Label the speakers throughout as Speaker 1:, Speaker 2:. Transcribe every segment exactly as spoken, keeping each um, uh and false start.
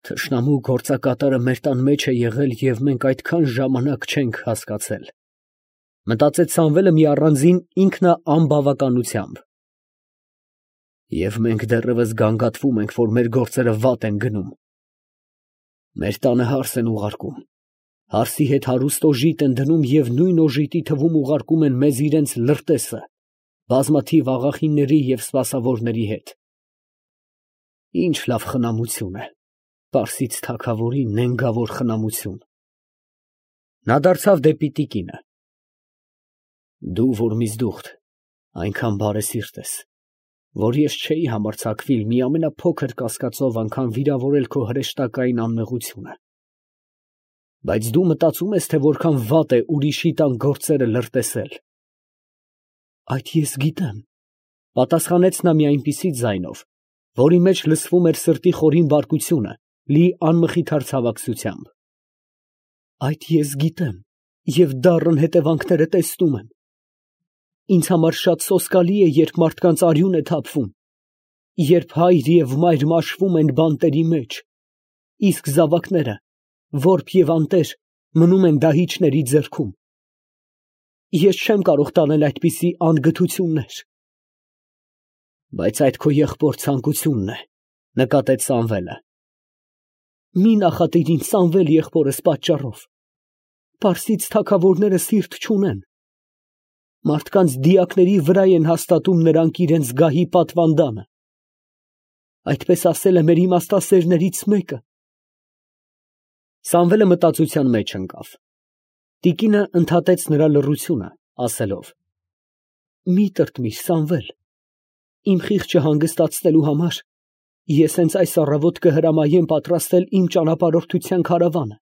Speaker 1: Թշնամու գործակատարը մեր տան մեջ է եղել և մենք այդքան ժամանակ չենք հասկացել, մտածեց Սամվելը մի առանձին ինքնաանբավականությամբ։ Եվ մենք դեռևս գանգատվում ենք, որ մեր գործերը վատ են գնում։ Մեր տանը հարս են ուղարկում, հարսի հետ հարուստ օժիտ են դնում և նույն օժիտի թվում ուղարկում են մեզ իրենց լրտեսը, բազմաթիվ աղախինների և սպասավորների հետ։ Ինչ լավ խնամություն է, Պարսից թագավորի նենգավոր խնամություն։ Նա դարձավ դեպի տիկինը. Դու, որ միզդուխտ, այնքան բարեսիրտ ես, որ ես չէի համարձակվիլ մի ամենափոքր կասկածով անգամ վիրավորել քո հրեշտակային անմեղությունը։ Բայց դու մտածում ես, թե որքան վատ է ուրիշի տան գործերը լրտեսել։ Այդ ես գիտեմ, պատասխանեց նա մի այնպիսի ձայնով, որի մեջ լսվում էր սրտի խորին բարկությունը, լի անմխիթար ցավակցությամբ։ Այդ ես գիտեմ և դառն հետևանքները տեսնում եմ։ Ինձ համար շատ սոսկալի է, երբ մարդկանց արյուն է թափվում, երբ հայր և մայր մաշվում են բանտերի մեջ, իսկ զավակները, որբ և անտեր, մնում են դահիճների ձեռքում։ Ես չեմ կարող տանել այդպիսի անգթություններ։ Բայց այդ քո եղբոր ցանկությունն է, նկատեց Սամվելը։ Մի նախատիր ինձ Սամվել եղբորս պատճառով։ Պարսից թագավորները սիրտ չունեն։ Մարդկանց դիակների վրա են հաստատում նրանք իրենց գահի պատվանդանը։ Այդպես ասել է մեր իմաստասերներից մեկը։ Սամվելը մտածության մեջ ընկավ։ Տիկինը ընդհատեց նրա լռությունը, ասելով. Մի տրտմիր, Սամվել, իմ խիղճը հանգստացնելու համար ես հենց այս առավոտ կհրամայեմ պատրաստել իմ ճանապարհորդության քարավանը,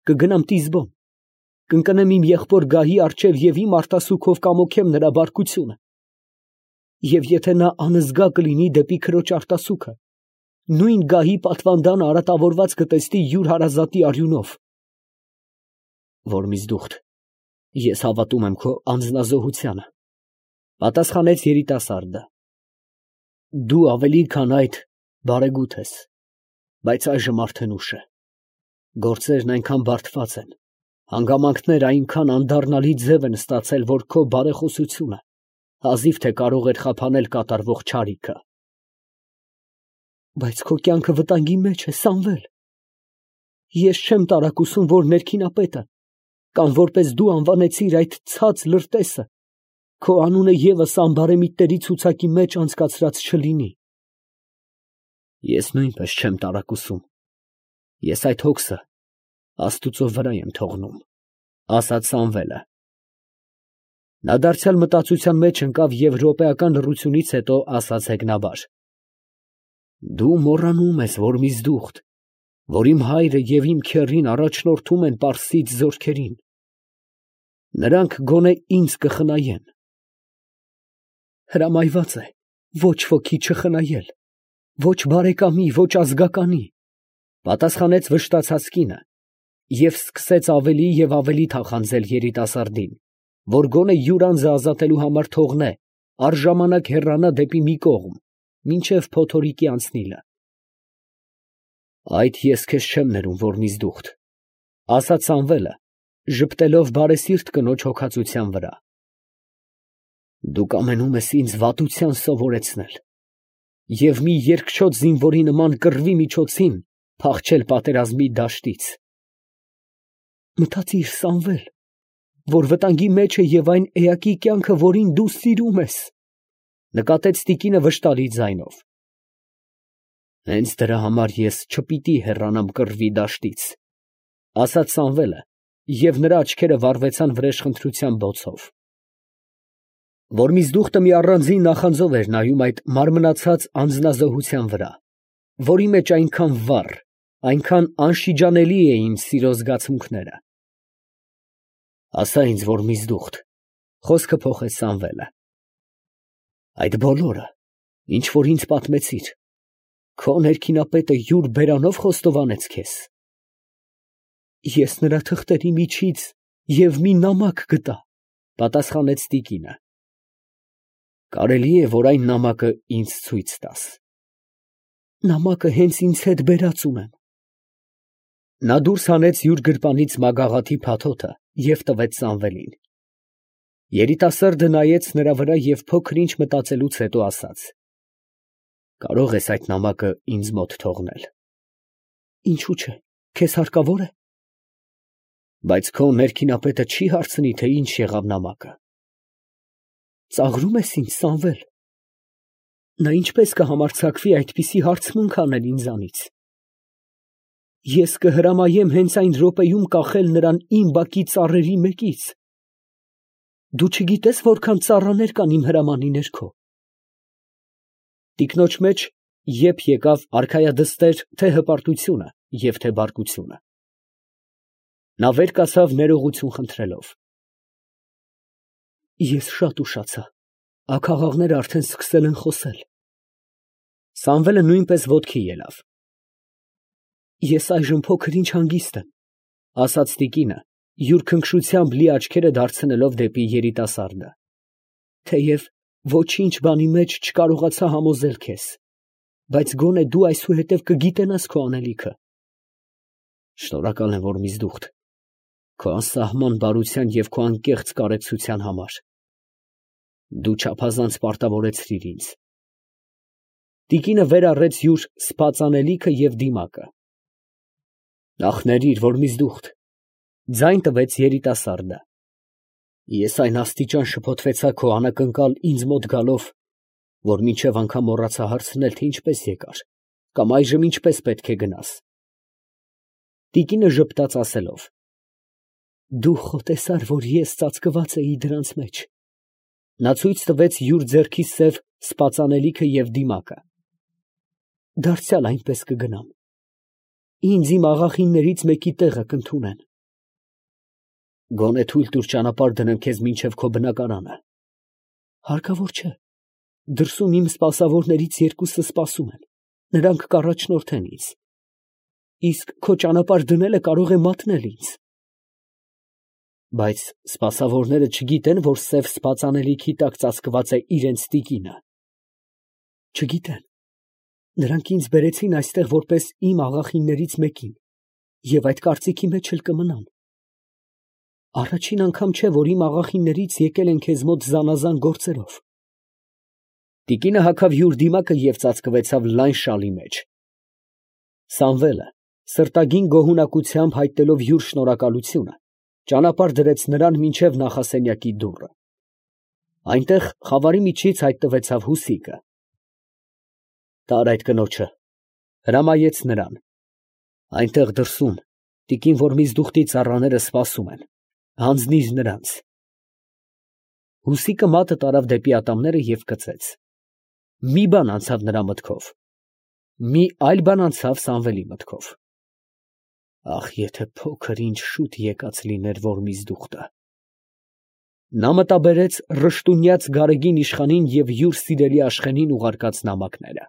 Speaker 1: կգնամ Տիզբոն, կընկնեմ իմ եղբոր գահի առջև և իմ արտասուքով կամոքեմ նրա բարկությունը։ Եվ եթե նա անզգա կլինի դեպի քրոջ արտասուքը, նույն գահի պատվանդանը արատավորված կտեսնի յուր հարազատի արյունով։ Որմիզդուխտ, ես հավատում եմ քո անձնազոհությանը, պատասխանեց երիտասարդը։ Դու ավելի քան այդ բարեգութ ես, բայց այժմ արդեն ուշ է։ Գործերն այնքան բարդված են, հանգամանքները այնքան անդառնալի ձև են ստացել, որ քո բարեխոսությունը հազիվ թե կարող էր խափանել կատարվող չարիքը։ Բայց քո կյանքը վտանգի մեջ է, Սամվել։ Ես չեմ տարակուսում, որ ներքինապետը, կամ որպես դու անվանեցիր այդ ցած լրտեսը, քո անունը ևս անբարեմիտների ցուցակի մեջ անցկացրած չլինի։ Ես նույնպես չեմ տարակուսում։ Ես այդ հոգսը Աստուծո վրա եմ թողնում, ասաց Սամվելը։ Նա դարձյալ մտածության մեջ ընկավ և րոպեական լռությունից հետո ասաց հեգնաբար. Դու մոռանում ես, Որմիզդուխտ, որ իմ հայրը և իմ քեռին առաջնորդում են պարսից զորքերին։ Նրանք գոնե ինձ կխնայեն։ Հրամայված է ոչ ոքի չխնայել, ոչ բարեկամի, ոչ ազգականի, պատասխանեց վշտացած կինը և սկսեց ավելի և ավելի թախանձել երիտասարդին, որ գոնե յուր անձը ազատելու համար թողնե, առժամանակ հեռանա դեպի մի կողմ, մինչև փոթորիկի անցնիլը։ Այդ ես քեզ չեմ ներում, Որմիզդուխտ, ասաց Սամվելը, ժպտելով բարեսիրտ կնոջ հոգածության վրա։ Դու կամենում ես ինձ վատության սովորեցնել և մի երկչոտ զինվորի նման կռվի միջոցին փախչել պատերազմի դաշտից։ Մտածիր, Սամվել, որ վտանգի մեջ է և այն էակի կյանքը, որին դու սիրում ես, նկատեց տիկինը վշտալի ձայնով։ Հենց դրա համար ես չպիտի հեռանամ կռվի դաշտից, ասաց Սամվելը, և նրա աչքերը վառվեցան վրեժխնդրության բոցով։ Որմիզդուխտը մի առանձին նախանձով էր նայում այդ մարմնացած անձնազոհության վրա, որի մեջ այնքան վառ, այնքան անշիջանելի էին սիրո զգացմունքները։ Ասա ինձ, Որմիզդուխտ, խոսքը փոխեց Սամվելը, այդ բոլորը, ինչ որ ինձ պատմեցիր, քո ներքինապետը յուր բերանով խոստովանեց քեզ։ Ես նրա թղթերի միջից և մի նամակ գտա, պատասխանեց տիկինը։ Կարելի է, որ այն նամակը ինձ ցույց տաս։ Նամակը հենց ինձ հետ բերած ունեմ, Նա դուրս հանեց յուր գրպանից մագաղաթի փաթոթը և տվեց Սամվելին։ Երիտասարդը նայեց նրա վրա և փոքր ինչ մտածելուց հետո ասաց. «Կարո՞ղ ես այդ նամակը ինձ մոտ թողնել»։ «Ինչու՞ չէ, քեզ հարկավոր է»։ «Բայց քո ներքինապետը չի՞ հարցնի, թե ինչ եղավ նամակը»։ «Ծաղրում ես ինձ, Սամվել։ Նա ինչպես կհամարձակվի այդպիսի հարցմունք անել ինձանից։ Ես կհրամայեմ հենց այն րոպեում կախել նրան իմ բակի ծառերի մեկից։ Դու չգիտես որքան ծառաներ կան իմ հրամանի ներքո»։ Տիկնոջ մեջ եփ եկավ արքայադստեր թե հպարտությունը և թե բարկությունը։ Նա վեր կացավ ներողություն խնդրելով. «Ես շատ ուշացա, աքաղաղները արդեն սկսել են խոսել»։ Սամվելը նույնպես ոտքի ելավ։ «Ես այժմ փոքր ինչ հանգիստ եմ», ֊ ասաց տիկինը, յուր քնքշությամբ լի աչքերը դարձնելով դեպի երիտասարդը, «թեև ոչինչ բանի մեջ չկարողացա համոզել քեզ, բայց գոնե դու այսուհետև կգիտենաս քո անելիքը»։ «Շնորհակալ եմ, որ ինձ դուխտ, քո անսահման բարության և քո անկեղծ կարեկցության համար։ Դու չափազանց պարտավորեցրիր ինձ»։ Տիկինը վեր առեց յուր սպած անելիքը և դիմակը։ «Ախ, ներիր, որ ինձ դուխտ», ֊ ձայն տվեց երիտասարդը։ «Ես այն աստիճան շփոթվեցա քո անակնկալ ինձ մոտ գալով, որ մինչև անգամ մոռացա հարցնել, թե ինչպես եկար, կամ այժմ ինչպես պետք է գնաս»։ Տիկինը ժպտաց ասելով. «Դու խոտեսար, որ ես ծածկված էի դրանց մեջ»։ Նա ցույց տվեց յուր ձեռքի սև սպած անելիքը և դիմակը։ «Դարձյալ այնպես կգնամ։ Ինձ իմ աղախիններից մեկի տեղը կընդունեն»։ «Գոնե թույլ տուր ճանապարհ դնեմ քեզ մինչև քո բնակարանը»։ «Հարկավոր չէ, դրսում իմ սպասավորներից երկուսը սպասում են, նրանք կառաջնորդեն ինձ, իսկ քո ճանապարհ դնելը կարող է մատնել ինձ»։ «Բայց սպասավորները չգիտեն, որ սև սպած անելիքի տակ ծածկված է իրենց տիկինը»։ «Չգիտեն, նրանք ինձ բերեցին այստեղ որպես իմ աղախիններից մեկին և այդ կարծիքի մեջ էլ կմնան։ Առաջին անգամ չէ, որ իմ աղախիններից եկել են քեզ մոտ զանազան գործերով»։ Տիկինը հագավ յուր դիմակը և ծածկվեցավ լայն շալի մեջ։ Սամվելը, սրտագին գոհունակությամբ հայտնելով յուր շնորհակալությունը, ճանապարհ դրեց նրան մինչև նախասենյակի դուռը։ Այնտեղ խավարի միջից հայտնվեցավ Հուսիկը։ «Տար այդ կնոջը», ֊ հրամայեց նրան։ «Այնտեղ դրսում տիկին Որմիզդուխտի ծառաները սպասում են, հանձնիր նրանց»։ Հուսիկը մատը տարավ դեպի ատամները և կծեց։ Մի բան անցավ նրա մտքով, մի այլ բան անցավ Սամվելի մտքով. «Ախ, եթե փոքր ինչ շուտ եկած լիներ Որմիզդուխտը»։ Նա մտաբերեց ռշտունյաց Գարեգին իշխանին և յուր սիրելի Աշխենին ուղարկած նամակները։